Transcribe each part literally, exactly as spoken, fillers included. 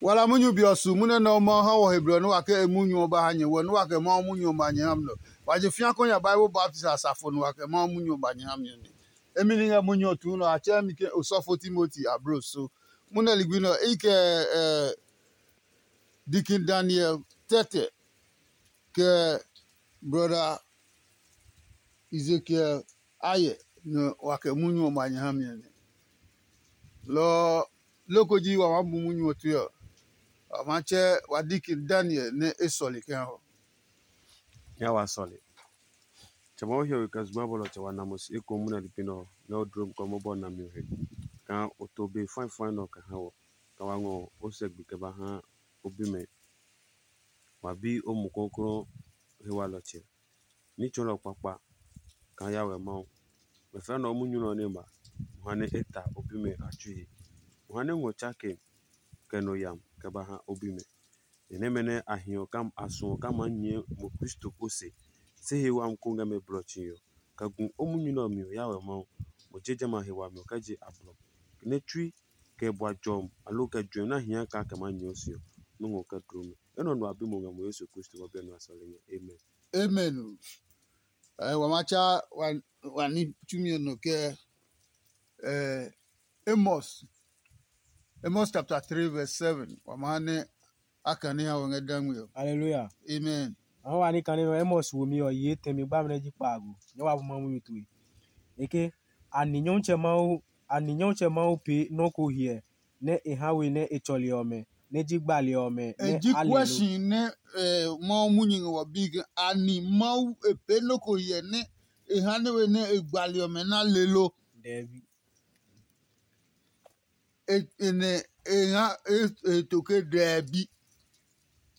Wala munyu be ɔ su munyu nɛ Mawu ha wɔ he blɔ nɛ wa ke e munyu ɔ ba ha nyɛ wɔ nɛ wa kɛ Mawu munyu ɔ ma nyɛ ha mi nɔ. Wa je fĩa kɔ nya Bible baptist asafo nɛ wa kɛ Mawu munyu ɔ ba nyɛ ha mi ɔ nɛ. Emi ni ngɛ munyu ɔ tuu nɔ a tsɛɛ mi ke osɔfo Timoti ablo so. Munɛ ligbi nɛ ɔ, i kɛ Deacon Daniel Tɛtɛ kɛ Brother Ezekiel Ayɛ nɛ wa kɛ munyu ɔ ma nyɛ ha mi ɔ nɛ. Lɔ ɔ, loko ji wa maa bu munyu ɔ tue ɔ, wa maa tsɛ wa Deacon Daniel nɛ e sɔle kɛ ha ɔ. Nya wa sɔle. Tsɛ Mawu hiɔwe kɛ zugba bɔlɔ tsɛ wa na mo si eko munɛ ligbi nɛ ɔ nɛ o dlom kɛ o mɔbɔ nami ɔ he kaa o to be fãi fãi nɛ ɔ kɛ ha wɔ, kɛ wa ngɔ o sɛ gbi kɛ ba ha o bimɛ. Wa bi o Mumi Klɔuklɔu he walɔtsɛ, ní tsɔɔlɔ kpakpa kaa Yawɛ Mawu. Mɛ fɛɛ nɔ ɔ munyu nɛ ɔ nɛ ma, mo ha nɛ e ta o bimɛ a tsui he. Mo ha nɛ ngɔ tsake kɛ nɔ yam kɛ ba ha o bimɛ. Ni nɛmɛ nɛ a hiɔ a suɔ kaa maa nyɛɛ mo Kristo ose, se he wami ko ngɛ mɛ blɔ tsi ɔ, kɛ gu o munyu nɛ ɔ mi ɔ Yawɛ Mawu. Mo je jamɛ a he wami ɔ kɛ je a blɔ, nɛ tsui kɛ bua jɔmi aloo kɛ juɛmi nɛ a hia kaa kɛ maa nyɛɛ o se ɔ, nɔ́ ngɔ kɛ dloo mi. Enɛ ɔ nɔ a bi mo ngɛ mo Yesu Kristo ma biɛ nɔ a sɔle nyɛ. Amen. Amen. Wa ma tsa wa ní tsumi ɔ nɔ kɛ Amos, Amos chapter three verse seven. Wa ma ha nɛ a kane ha wɔ ngɛ dangme ɔ. Hallelujah. Amen. Ɔhɔ wa ní kane nɔ Amos womi ɔ yi etɛ mi gbami nɛ ji kpaago nyɛ wa bu ma munyu tue. Eke ani Nyɔmtsɛ Mawu ani Nyɔmtsɛ Mawu pee nɔ́ ko hyɛ nɛ e ha we nɛ e tsɔli ɔmɛ nɛ ji gbali ɔmɛ. E ji kuɛ si nɛ Mawu munyu ngɛ wɔ bi ke ani Mawu e pee nɔ́ ko hyɛ nɛ e ha nɛ we nɛ e gbali ɔmɛ na le lo. Dɛbi. Nɛ e ngɛ e to ke dɛbi.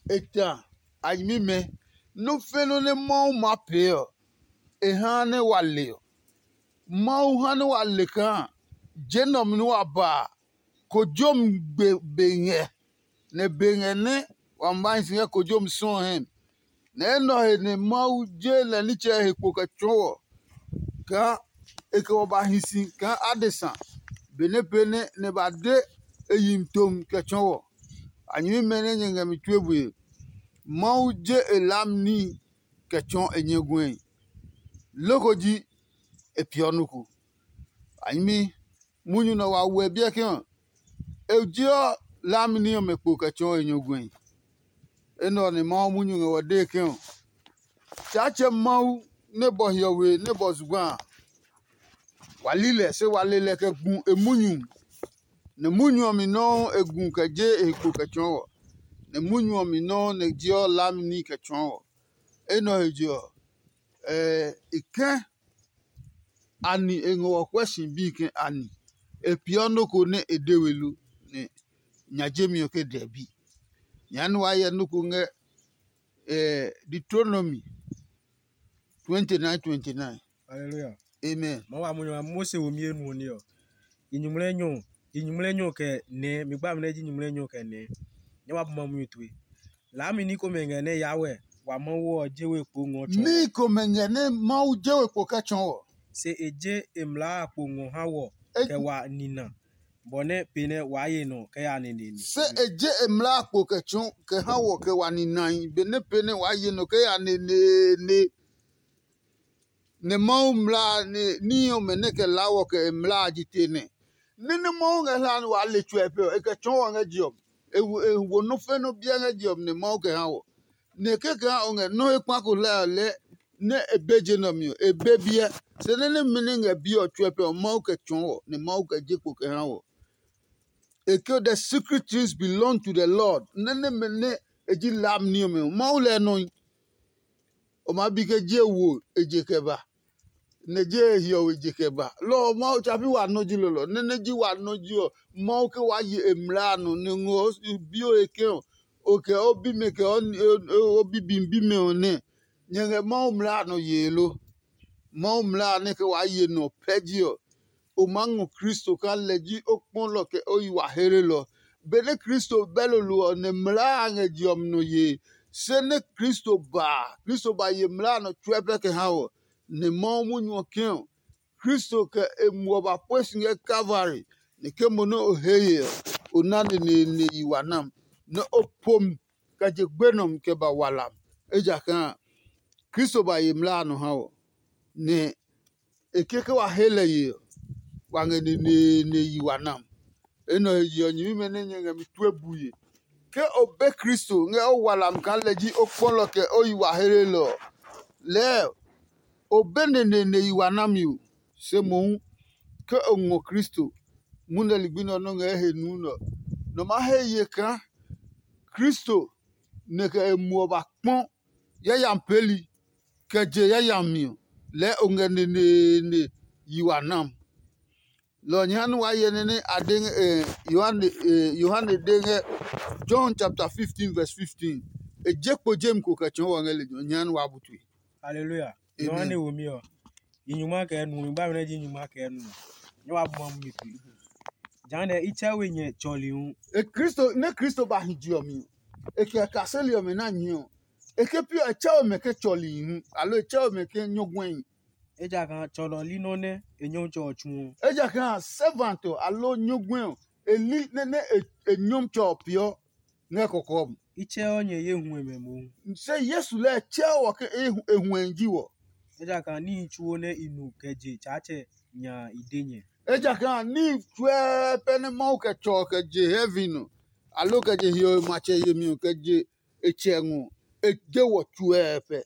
E ta a nyɛmimɛ nɔ́ fe nɔ́ nɛ Mawu maa pee ɔ, e ha nɛ wa le ɔ. Mawu ha nɛ wa le kaa je nɛ ɔ mi nɛ wa ba a, kojomi gbe be ngɛ, nɛ be ngɛ nɛ wa ma hi si ngɛ kojomi sɔ ɔ hɛ mi. Nɛ enɛ ɔ he nɛ Mawu je lɛ nitsɛ he kpo kɛ tsɔɔ wɔ kaa e kɛ wɔ ba hi si kaa adesa benɛ pee nɛ nɛ ba de e yi mi tomi kɛ tsɔɔ wɔ. A nyɛmimɛ nɛ nyɛ ngɛ mi tue bue, Mawu je e laami níhi kɛ tsɔɔ e nyɛ guɛe. Loko ji e peeɔ nɔ́ ko. A nyɛmi munyu nɛ wa wɛ biɛ ke ɔ, e jeɔ laami ní ɔmɛ kpo kɛ tsɔɔ e nyɔguɛe. Enɛ ɔ nɛ Mawu munyu ngɛ wɔ dee ke ɔ, Tsaatsɛ Mawu nɛ bɔ hiɔwe nɛ bɔ zugba a, wa li lɛ, se wa le lɛ kɛ gu e munyu. Nɛ munyu ɔ mi nɔuu e gu kɛ je e he kpo kɛ tsɔɔ wɔ, nɛ munyu ɔ mi nɔuu nɛ jeɔ laami ní kɛ tsɔɔ wɔ. Enɛ ɔ he je ɔ, e kɛ̃ ani e ngɔ wɔ kuɛ si bi ke ani e peeɔ nɔ́ ko nɛ e de we lo, nɛ nya jemi ɔ ke dɛbi. Nyɛɛ nɛ waa hyɛ nɔ́ ko ngɛ Deuteronomy twenty nine twenty nine. Hallelujah. Amen. Ma wa mo nyɔ Mose wo mi enu ni ɔ. Inyumlɛ nyɔ, inyumlɛ nyɔ kɛ nɛ, mi gba mi nɛ ji inyumlɛ nyɔ kɛ nɛ. Nyɛ wa bu ma mu tue. Laami ní komɛ ngɛ nɛ ya wɛ wa Mawu ɔ je we kpo ngɔ tsɔ. Ní komɛ ngɛ nɛ Mawu je we kpo kɛ tsɔ wɔ. Se e je e mlaa a kpo ngɔ ha wɔ kɛ wa nina, bɔ nɛ pe nɛ waa ye nɔ kɛ ya neneene. Se e je e mlaa a kpo kɛ tsɔ kɛ ha wɔ kɛ wa ninahi, benɛ pe nɛ waa ye nɔ kɛ ya neneene. Nɛ Mawu mlaa ní ɔmɛ nɛ kɛ laa wɔ kɛ e mlaa a ji te nɛ. Nɛ́ nɛ Mawu ngɛ hlaa nɛ waa le tsuɛ pɛ ɔ, e kɛ tsɔɔ wɔ ngɛ je ɔ. E wo nɔ́ fɛ nɔ́ biɛ ngɛ je ɔ mi nɛ Mawu kɛ ha wɔ. Nɛ kɛkɛ ha o ngɛ nɔ́ he kpa ko hlɛ ɔ lɛɛ nɛ e be je nɛ ɔ mi ɔ, e be biɛ. Se nɛ nɛmɛ nɛ ngɛ biɛ ɔ tsuɛ pɛ ɔ, Mawu kɛ tsɔɔ wɔ, nɛ Mawu kɛ je kpo kɛ ha wɔ. E ke the secret things belong to the Lord. Nɛ nɛmɛ nɛ e ji lam ní ɔmɛ ɔ, Mawu lɛ nɔe. O maa bi ke je wo e je kɛ ba, nɛ je e hiɔwe je kɛ ba. Lɔ ɔ Mawu tsa pi wa nɔ ji lolo ɔ. Nɛ nɛ ji wa nɔ ji ɔ, Mawu ke waa ye e mlaa a nɔ nɛ ngɔ o bi o he ke ɔ, o kɛ o bimɛ kɛ o bibi bimɛ ɔ nɛ. Nyɛ ngɛ Mawu mlaa a nɔ yee lo? Mawu mlaa a nɛ ke waa ye nɔ pɛ ji ɔ, o maa ngɔ Kristo kaa lɛ ji o kpɔlɔ kɛ o yi wa heelelɔ. Benɛ Kristo bɛ lolo ɔ, nɛ mlaa a ngɛ je ɔ mi nɔ yee. Se nɛ Kristo ba a, Kristo ba ye mlaa a nɔ tsuɛ pɛ kɛ ha ɔ, nɛ Mawu munyu ɔ kɛ̃ ɔ, Kristo kɛ e muɔ ba pue si ngɛ Kalvari, nɛ ke mo nɛ o he ye ɔ, o na neneene yi wa nam. nɛ o po mi kɛ je gbenɔ mi kɛ ba walam. Ejakaa Kristo ba ye mlaa a nɔ ha wɔ, nɛ e ke ke wa he lɛ ye ɔ, wa ngɛ neneene yi wa nam. Enɛ ɔ he je ɔ, nyɛmimɛ nɛ nyɛ ngɛ mi tue bue. Ke o be Kristo ngɛ o walam kaa lɛ ji o kpɔlɔ kɛ o yi wa helelɔ ɔ, lɛɛ o be neneene yi wa nami o. Se mohu ke o ngɔ Kristo, munɛ ligbi nɛ ɔ nɔ́ ngɛ he nuu nɛ ɔ, nɔ maa he ye kaa Kristo nɛ kɛ e muɔ ba kpɔ yayami peeli kɛ je yayami ɔ, lɛɛ o ngɛ neneene yi wa nam. Lɔ ɔ nyɛ ha nɛ waa hyɛ nɛ nɛ a de ngɛ, eh, Yohane, eh, Yohane de ngɛ John chapter fifteen verse fifteen. E je kpo jemi ko kɛ tsɔɔ wɔ ngɛ lejɛ ɔ, nyɛ ha nɛ waa bu tue. Haleluya. Amen. Yohane womi ɔ, yi nyuma kɛ nu, mi ba mi nɛ ji nyuma kɛ nu. Nyɛ wa bu ma munyu tue. Jehanɛ i tsɛ we nyɛ tsɔli hu. E Kristo, nɛ Kristo ba hi je ɔ mi ɔ, e kɛ kaseli ɔmɛ na nyi ɔ, e ke pi ɔ, e tsɛ we mɛ ke tsɔli hu, aloo e tsɛ we mɛ ke nyɔguɛhi. Ejakaa tsɔlɔ li nɔ́ nɛ e nyɔmtsɛ ɔ tsuɔ. Ejakaa servant ɔ aloo nyɔguɛ ɔ, e li nɛ nɛ e, e nyɔmtsɛ ɔ peeɔ ngɛ kɔkɔɔ mi. I tsɛɔ nyɛ ye huɛmɛ mohu. Se Yesu lɛɛ tsɛɔ wɔ ke e hu- e huɛhi ji wɔ. Ejakaa níhi tsuo nɛ i nu kɛ je Tsaatsɛ nya a i de nyɛ. Ejakaa níhi tsuɛɛ pɛ nɛ Mawu kɛ tsɔ ɔ kɛ je heaven ɔ, aloo kɛ je hiɔwe matsɛ yemi ɔ kɛ je e tsɛ ngɔ, e de wɔ tsuɛɛ pɛ.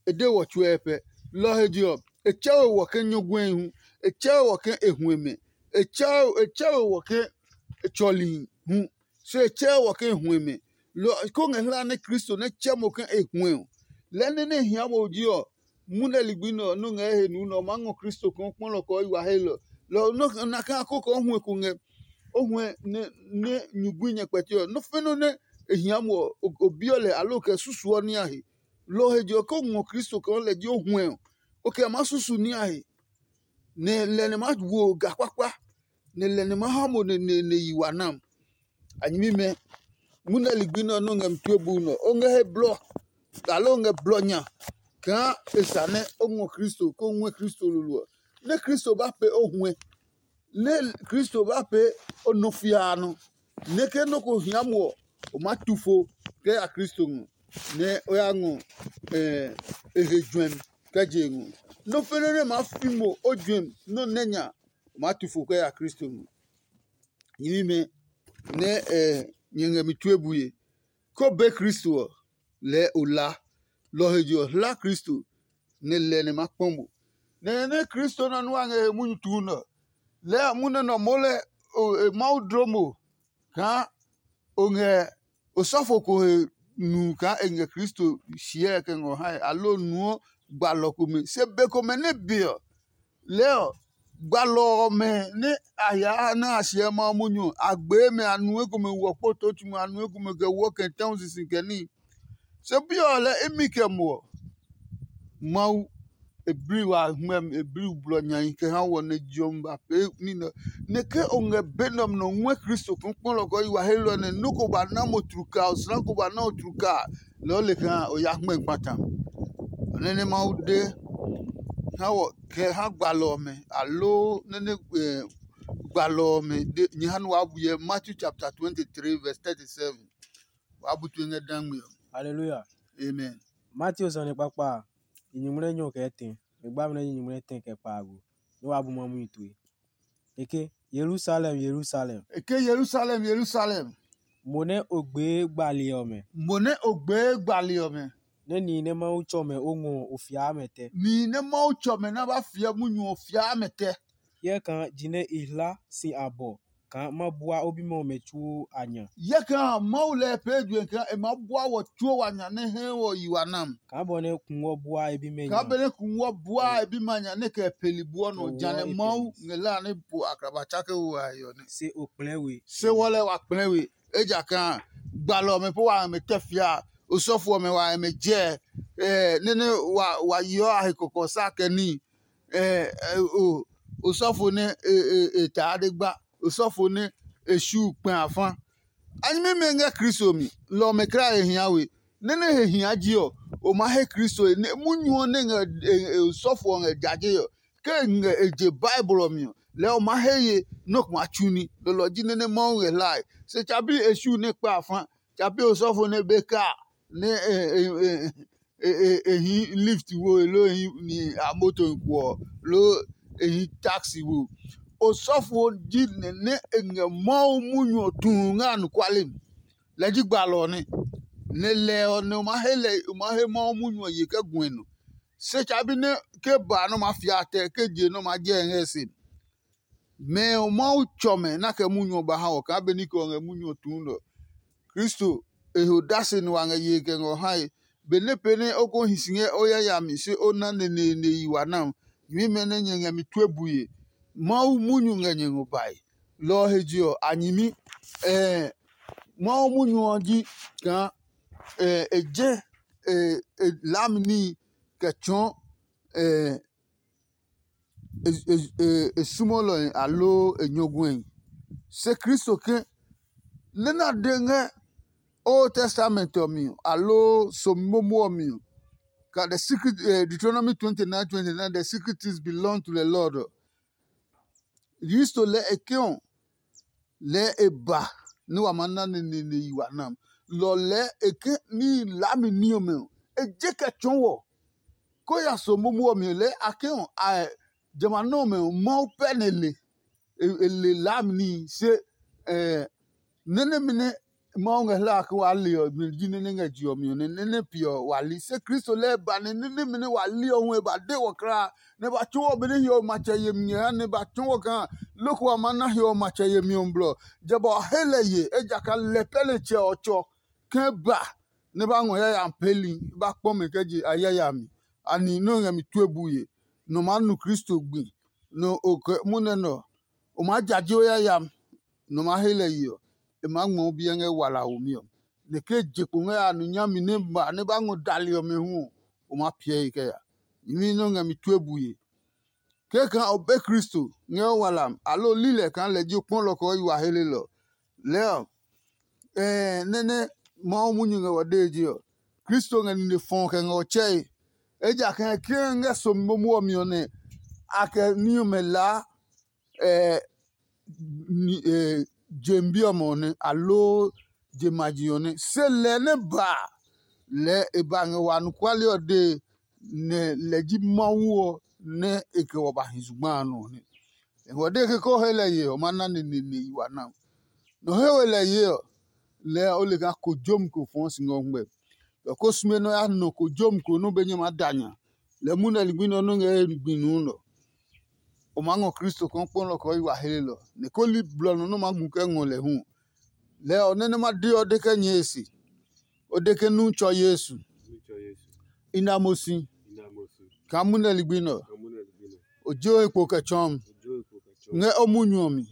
E de wɔ tsuɛ pɛ. Lɔ ɔ he je ɔ, e tsɛ we wɔ ke nyɔguɛhi hu, e tsɛ we wɔ ke e huɛmɛ, e tsɛ e tsɛ we wɔ ke e tsɔli hu, se e tsɛ wɔ ke e huɛmɛ. Lɔ ko ngɛ hlaa nɛ Kristo nɛ tsɛ mo ke e huɛ ɔ, lɛɛ nɛ nɛ hia mo ji ɔ, munɛ ligbi nɛ ɔ nɔ́ ngɛ he nuu nɛ ɔ maa ngɔ Kristo kaa kpɔlɔ kɛ ɔ yi wa he lɔ. Lɔ ɔ nɔ́ na kaa ko kɛ o huɛ ko ngɛ o huɛ nɛ nɛ nyugui nyɛ kpɛti ɔ, nɔ́ fɛnɔ nɛ e hia mo ɔ, o biɔ lɛ aloo kɛ susuɔ ní a he. Lɔ ɔ he je ɔ, ke o ngɔ Kristo kaa lɛ ji o huɛ ɔ, o kɛ maa susu ní a he, nɛ lɛ nɛ maa wo ga kpakpa, nɛ lɛ nɛ maa ha mo neneene yi wa nam. A nyɛmimɛ, munɛ ligbi nɛ ɔ nɔ́ ngɛ mi tue buu nɛ ɔ, o ngɛ he blɔ, aloo o ngɛ blɔ nya kaa e sa nɛ o ngɔ Kristo, kó o ngɔɛ Kristo lolo ɔ. Nɛ Kristo ba pee o huɛ, nɛ Kristo ba pee o nɔ fiaa nɔ, nɛ ke nɔ́ ko hia mo ɔ, o maa tu fo kɛ ya Kristo ngɔ, nɛ o ya ngɔ e he juɛmi kɛ je e ngɔ. Nɔ́ fɛnɛ nɛ maa fi mo o juɛmi nɔ́ nɛ nya, o maa tu fo kɛ ya Kristo ngɔ. Nyɛmimɛ nɛ nyɛ ngɛ mi tue bue, ko be Kristo ɔ, lɛɛ o la. Lɔ ɔ he je ɔ, hla Kristo, nɛ lɛ nɛ ma kpɔ mo. Nɛ nɛ Kristo nɔ nua ngɛ he munyu tuu nɛ ɔ, lɛɛ munɛ nɔ moo lɛ Mawu dlɔ mo kaa o ngɛ osɔfo ko he nu kaa e ngɛ Kristo hyɛɛ kɛ ngɔ hae, aloo nuɔ gbalɔ komɛ. Se be komɛ nɛ be ɔ, lɛɛ ɔ, gbalɔ ɔmɛ nɛ a ya nɛ a hyɛ Mawu munyu ɔ, a gbee mɛ, a nu ekomɛ wɔ kpo too tsumi, a nu ekomɛ kɛ wɔ kɛ tɛ̃u sisi kɛ níhi. Se bi ɔ lɛ imi kɛ muɔ. Mawu e bli wa hmɛmi, e bli blɔ nyai kɛ ha wɔ nɛ jɔmi ba pee ní nɛ. Nɛ ke o ngɛ be nɛ ɔmɛ nɔ ngɔɛ Kristo kpɔkpɔlɔ kɛ yi wa helɔ nɛ nɔ́ ko ba na mo tluka, osla ko ba na o tluka, lɛɛ o le kaa o ya hmɛ kpata. Nɛ nɛ Mawu de ha wɔ kɛ ha gbalɔ ɔmɛ, aloo nɛ nɛ gbalɔ ɔmɛ de nyɛ ha nɛ waa bu hyɛ Matthew chapter twenty three verse thirty seven. Waa bu tue ngɛ dangme ɔ. Haleluya. Amen. Mateo sane kpakpa a, i nyumu nɛ nyɔ kɛ tɛ, e gba mi nɛ i nyumu nɛ tɛ kɛ kpaago, nɛ waa bu ma munyu tue. E ke, Yerusalem, Yerusalem. E ke, Yerusalem, Yerusalem. Mo nɛ o gbee gbali ɔmɛ. Mo nɛ o gbee gbali ɔmɛ. Nɛ nihi nɛ Mawu tsɔ mɛ o ngɔ o fiaa mɛ tɛ. Nihi nɛ Mawu tsɔ mɛ nɛ a ba fiɛ munyu ɔ fiaa mɛ tɛ. Hyɛ kaa jinɛ e hla si abɔ kaa ma bua o bimɛ ɔmɛ tsuo a nya. Hyɛ kaa Mawu lɛ pee juɛ kaa e maa bua wɔ tsuo wa nya nɛ hɛ wɔ yi wa nam. Kaa bɔ nɛ kungwɔ bua e bimɛ nya. Kaa benɛ kungwɔ bua e bimɛ nya nɛ kɛ peli buɔ nɔ. Kɛ wɔ janɛ e Mawu peli. Ngɛ la nɛ po akraba tsake wo a yɔ nɛ. Se o kplɛ we. Se wɔ lɛ wa kplɛ we. Ejakaa gbalɔ ɔmɛ po wa mɛ tɛ fia, osɔfo ɔmɛ wa mɛ jɛ, eh, nene wa wa yɔ a he kɔkɔ sa kɛ ni, eh, eh, o osɔfo ne e e e taa de gba, osɔfo ne e shu kpɛ afa. A nyɛmimɛ ngɛ Kristo mi, lɔ ɔmɛ kra he hia we. Nene he hia ji ɔ, o ma he Kristo he, ne munyu ɔ ne ngɛ e- e- osɔfo ɔ ngɛ jaje ɔ, ke e ngɛ e je Bible ɔ mi ɔ, lɛɛ o maa he ye nɔ́ ko maa tsu ní. Lɔlɔ ji nɛ nɛ Mawu ngɛ hlae. Se tsabi e su nɛ kpa a fa, tsabi osɔfo nɛ be ka nɛ e, e, e, e, e, e hii lift wo, loo e hii ni a moto ko ɔ, loo e hii taxi wo. Osɔfo ji nɛ nɛ e ngɛ Mawu munyu ɔ tu ngɛ anɔkuale mi. Lɛ ji gbalɔ ɔ nɛ. Nɛ lɛ ɔ nɛ o maa he lɛ, o maa he Mawu munyu ɔ ye kɛ gu e nɔ. Se tsabi nɛ ke ba nɛ o maa fia tɛ, ke je nɛ o maa jɛ ngɛ e se. Mɛ ɔ Mawu tsɔ mɛ nɛ a kɛ munyu ɔ ba ha wɔ kaa benɛ i kɛ ɔ ngɛ munyu ɔ tuu nɛ ɔ. Kristo e he odase nɛ wa ngɛ yee kɛ ngɛ ɔ hae. Benɛ pee nɛ o ko hi si ngɛ o yayami se o na neneene yi wa nɛ ɔ, nyɛmimɛ nɛ nyɛ ngɛ mi tue bue. Mawu munyu ngɛ nyɛ ngɔ bae. Lɔ ɔ he je ɔ, a nyɛmi. Ɛɛ Mawu munyu ɔ ji kaa ɛɛ e je e e laami níhi kɛ tsɔɔ ɛɛ e e e e sumɔlɔe aloo e nyɔguɛe. Se Kristo ke nɛ na de ngɛ Old Testament ɔ mi ɔ, aloo somi momo ɔ mi ɔ, ka the secret, eh, Deuteronomy twenty-nine twenty-nine, the secret things belong to the Lord ɔ. Kristo lɛ e ke ɔ, lɛ e ba nɛ wa maa na neneene yi wa nam. Lɔ lɛ e ke ní laami ní ɔmɛ ɔ, e je kɛ tsɔɔ wɔ. Ko ya so momo ɔ mi lɛ a ke ɔ, a jamɛ a nɛ ɔmɛ ɔ, Mawu pɛ nɛ le. E le laami ní se, eh, nɛ nɛmɛ nɛ Mawu ngɛ hlaa ke waa le ɔ, nɛ ji nɛ nɛ ngɛ je ɔ mi ɔ, nɛ nɛ nɛ piɛ ɔ wa li. Se Kristo lɛɛ ba nɛ nɛ nɛmɛ nɛ wa li ɔ hu e ba de wɔ kulaa, nɛ ba tsu wɔ benɛ hiɔwe matsɛ yemi ngɛ ha, nɛ ba tsu wɔ kaa loko a maa na hiɔwe matsɛ yemi ɔ blɔ. Jɛ ba ɔ he lɛ ye, ejakaa lɛ pɛ nɛ tsɛ ɔ tsɔ ke ba nɛ ba ngɔ yayami peeli, ba kpɔ mɛ kɛ je a yayami. Ani nɛ o ngɛ mi tue bue, nɔ maa nu Kristo gbi, nɔ o kɛ munɛ nɛ ɔ, o maa jaje o yayami. Nɔ maa he lɛ ye ɔ, e maa ngmɔ o biɛ ngɛ wala womi ɔ. Nɛ ke je kpo ngɛ a nu nyami nɛ ba nɛ ba ngɔ dali ɔmɛ hu ɔ, o maa piɛ e kɛ ya. Nyɛmi nɛ o ngɛ mi tue bue. Kɛkaa o be Kristo ngɛ o wala mi, aloo o li lɛ kaa lɛ ji o kpɔlɔ kɛ o yi wa helelɔ. Lɛɛ ɔ, ɛɛ nɛ nɛ Mawu munyu ngɛ wɔ dee je ɔ, Kristo ngɛ nine fɔɔ kɛ ngɛ ɔ tsɛe. Ejakaa ke ngɛ somi momo ɔ mi ɔ nɛ a kɛ ní ɔmɛ laa ɛɛ ni- ɛɛ je bi ɔmɛ ɔ nɛ, aloo je maji ɔ nɛ. Se lɛ nɛ ba a, lɛɛ e ba ngɛ wa anɔkuale ɔ dee, nɛ lɛ ji Mawu ɔ nɛ e kɛ wɔ ba hi zugba a nɔ ɔ nɛ. Nɛ ngɔ dee ke ko he lɛ ye ɔ, ma na neneene yi wa na. Nɔ he we lɛ ye ɔ, lɛɛ o le kaa kojomi ko fɔɔ si ngɛ o ngmɛ. Lɔ ko sume nɛ o ya nɔ kojomi ko nɛ o be nyɛ maa da nya. Lɛ munɛ ligbi nɛ ɔ nɔ́ ngɛ ye gbi nuu nɔ. O maa ngɔ Kristo kaa o kpɔlɔ kɛ o yi wa helelɔ, nɛ ko li blɔ nɔ nɛ o maa gu kɛ ngɔ lɛ hu. Lɛɛ ɔ nɛ nɛ ma de ɔ de kɛ nyɛɛ e se. O de ke nu tsɔ Yesu. I na mo si kaa munɛ ligbi nɛ ɔ, o je o he kpo kɛ tsɔɔ mi ngɛ o munyu ɔ mi.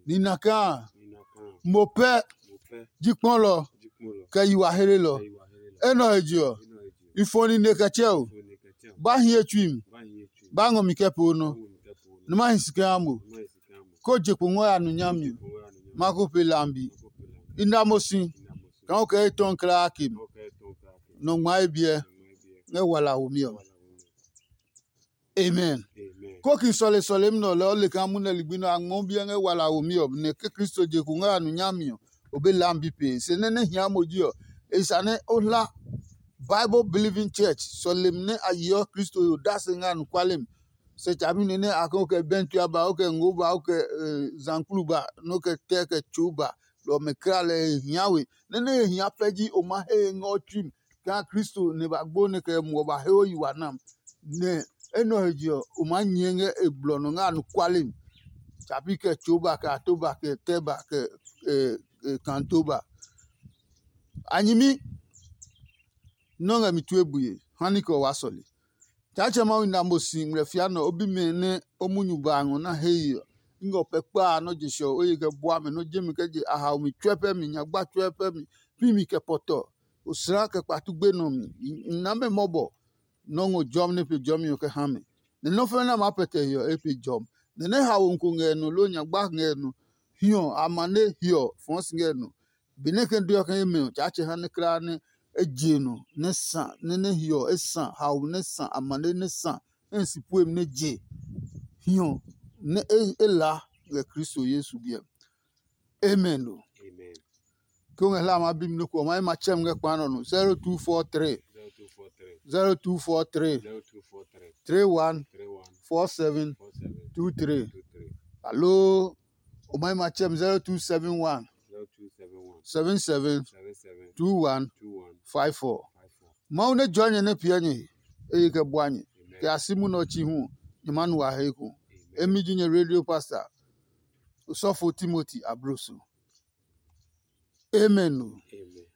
Nina kaa mo pɛ ji kpɔlɔ kɛ yi wa helelɔ. Enɛ ɔ he je ɔ, i fɔ nine kɛ tsɛ o. Ba hiɛ tsui mi, ba ngɔ mi kɛ poo nɔ, nɛ ma hi si kɛ ha mo. Ko je kpo ngɔ ya nu nyami, ma ko pe lambi. I na mo si kaa o kɛ etɔɔ klaa ke mi. Nɔ ngma e biɛ ngɛ wala womi ɔ. Amen. Ko ki sɔle sɔlemi nɛ ɔ lɛɛ o le kaa munɛ ligbi nɛ a ngmɔ biɛ ngɛ wala womi ɔ, nɛ ke Kristo je kpo ngɛ a nu nyami ɔ, o be lambi pee. Se nɛ nɛ hia mo ji ɔ, e sa nɛ o hla Bible believing church, sɔlemi nɛ a yeɔ Kristo he odase ngɛ anɔkuale mi. Se tsabi nɛ nɛ a kɛ o kɛ bɛntu aba, o kɛ ngo ba, o kɛ zankplu ba, nɛ o kɛ tɛ kɛ tso ba, lɔ ɔmɛ kla lɛ e hia we. Nɛ nɛ e hia pɛ ji o ma he ngɛ o tsui mi. Kaa Kristo nɛ ba gbo nɛ kɛ muɔ ba he o yi wa nam. Nɛ enɛ ɔ he je ɔ, o maa nyɛɛ ngɛ e blɔ nɔ ngɛ anɔkuale mi. Tsapi kɛ tso ba, kɛ ato ba, kɛ tɛ ba, kɛ kanto ba. A nyɛmi nɔ́ ngɛ mi tue bue, ha ní kɛ o waa sɔle. Tsaatsɛ Mawu na mo si ngmlɛ fia nɛ o bimɛ nɛ o munyu ba a ngɔ na he ye ɔ, i ngɛ o pɛ kpa a nɔ́ je sɛ ɔ, o ye kɛ bua mɛ nɔ́ jemi kɛ je a haomi tsuɛ pɛ mi, nyagba tsuɛ pɛ mi, pi mi kɛ pɔtɔ, osla kɛ kpatu gbenɔ mi. I na mɛ mɔbɔ nɔ́ ngɔ jɔmi nɛ pe jɔmi ɔ kɛ ha mɛ. Nɛ nɔ́ fɛ̃ nɛ a maa pɛtɛ he ɔ, e pe jɔmi. Nɛ nɛ haomi ko ngɛ nɔ loo nyagba ngɛ nɔ, hiɔ, amane hiɔ fɔɔ si ngɛ nɔ. Benɛ e kɛ de ɔ kɛ imi ɔ, Tsaatsɛ ha nɛ kulaa nɛ e je nɔ nɛ sa, nɛ nɛ hiɔ e sa, haomi nɛ sa, amane nɛ sa, nɛ e si puemi nɛ je hiɔ nɛ e la ngɛ Kristo Yesu biɛ. Amen o. Ke o ngɛ hla ma bi mi nɔ́ ko, o ma yi ma tsɛ mi ngɛ kpa nɔ no. Zero two four three, zero two four three, zero two four three, zero two four three, three one, three one, four seven, four seven, two three. Two three. Aloo o ma yi ma tsɛ mi zero two seven one, zero two seven one, seven seven, seven seven, two one, two one, five four. Five four. Mawu nɛ jua nyɛ nɛ piɛ nyɛ he, e yi kɛ bua nyɛ. Amen. Kɛ a si munɛ ɔ chi hu, nyɛ ma nu a he eko. Amen. Emi ji nyɛ radio pastor, osɔfo Timothy Abroso. Amen o. Amen.